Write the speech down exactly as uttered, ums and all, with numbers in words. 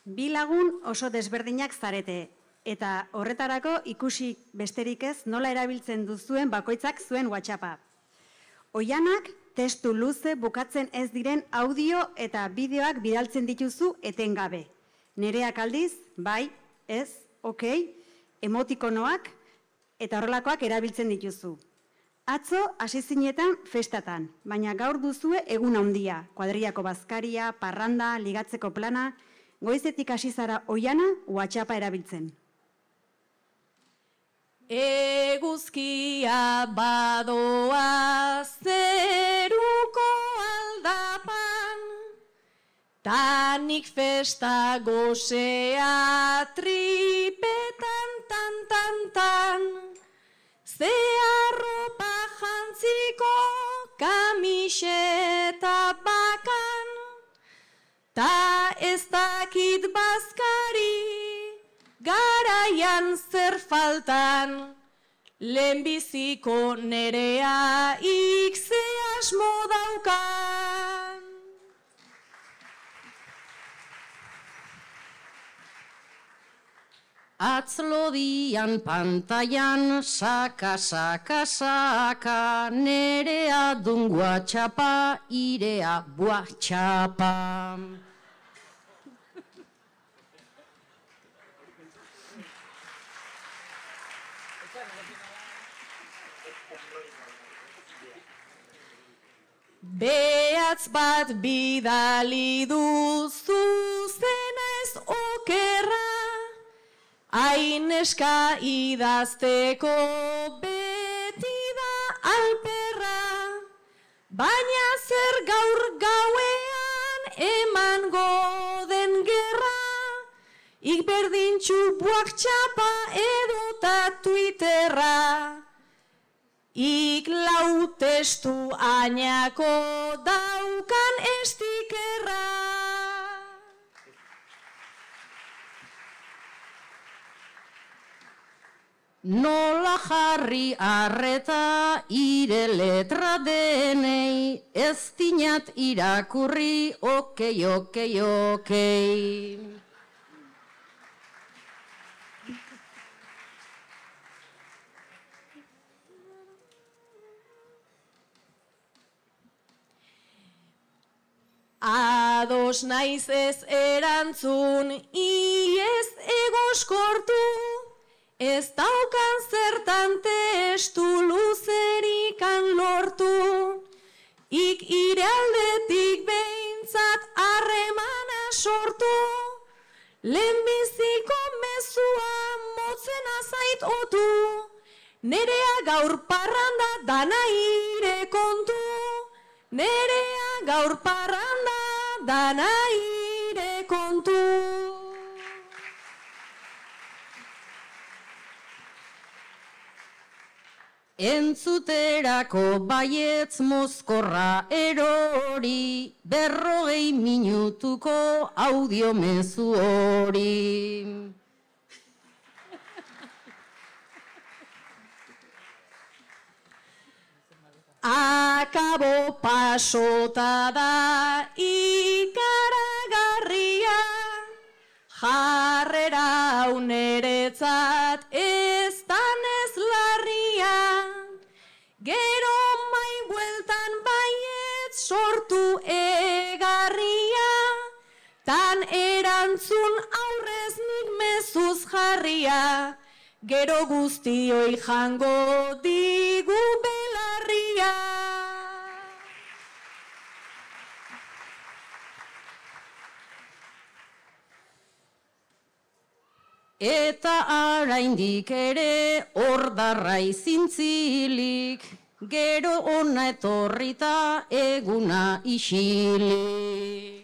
Bi lagun oso desberdinak zarete, eta horretarako ikusi besterik ez nola erabiltzen duzuen bakoitzak zuen WhatsAppa. Oianak testu luze bukatzen ez diren audio eta bideoak bidaltzen dituzu etengabe. Nereak aldiz, bai, ez, okei, emotikonoak eta horrelakoak erabiltzen dituzu. Atzo hasi zinetan festatan, baina gaur duzue egun handia, kuadrillako bazkaria, parranda, ligatzeko plana, goizetik hasi zara Oiana WhatsAppa erabiltzen. Eguzkia badoa zeruko aldapan, tanik festa gozea tripetan tan tan tan, ze arropa jantziko kamiseta bakan, ta ez dakit bazkari garaian zer faltan, lehenbiziko nerea ikze asmo daukan. Atzlodian pantailan saka, saka, saka, nerea dun WhatsAppa, irea WhatsAppa. Behatz bat bidali duzu zena ez okerra, aineska idazteko beti da alperra, baina zer gaur gauean emango den gerra, ik berdintxu WhatsAppa edota Twitterra. Ik lau testu ainako daukan estikerra. Nola jarri arreta ire letra denei, ez dinat irakurri, okei, okei, okei. Ados naiz ez erantzun, iez egoskortu, ez daukan zertan testu luzerikan lortu, ik ire aldetik behintzat harremana sortu, lehenbiziko mezua motzen azait otu, nerea gaur parranda dana ire kontu, nerea gaur parranda dana ire kontu. Entzuterako baietz mozkorra erori, berrogei minutuko audio mezu hori. Akabo pasota da ikaragarria, jarrera uneretzat ez danez larria, gero mai bueltan baiet sortu egarria, tan erantzun aurrez nik mezuz jarria, gero guztioi jango digu belarria. Eta araindik ere ordarra izintzilik, gero ona etorrita eguna isilik.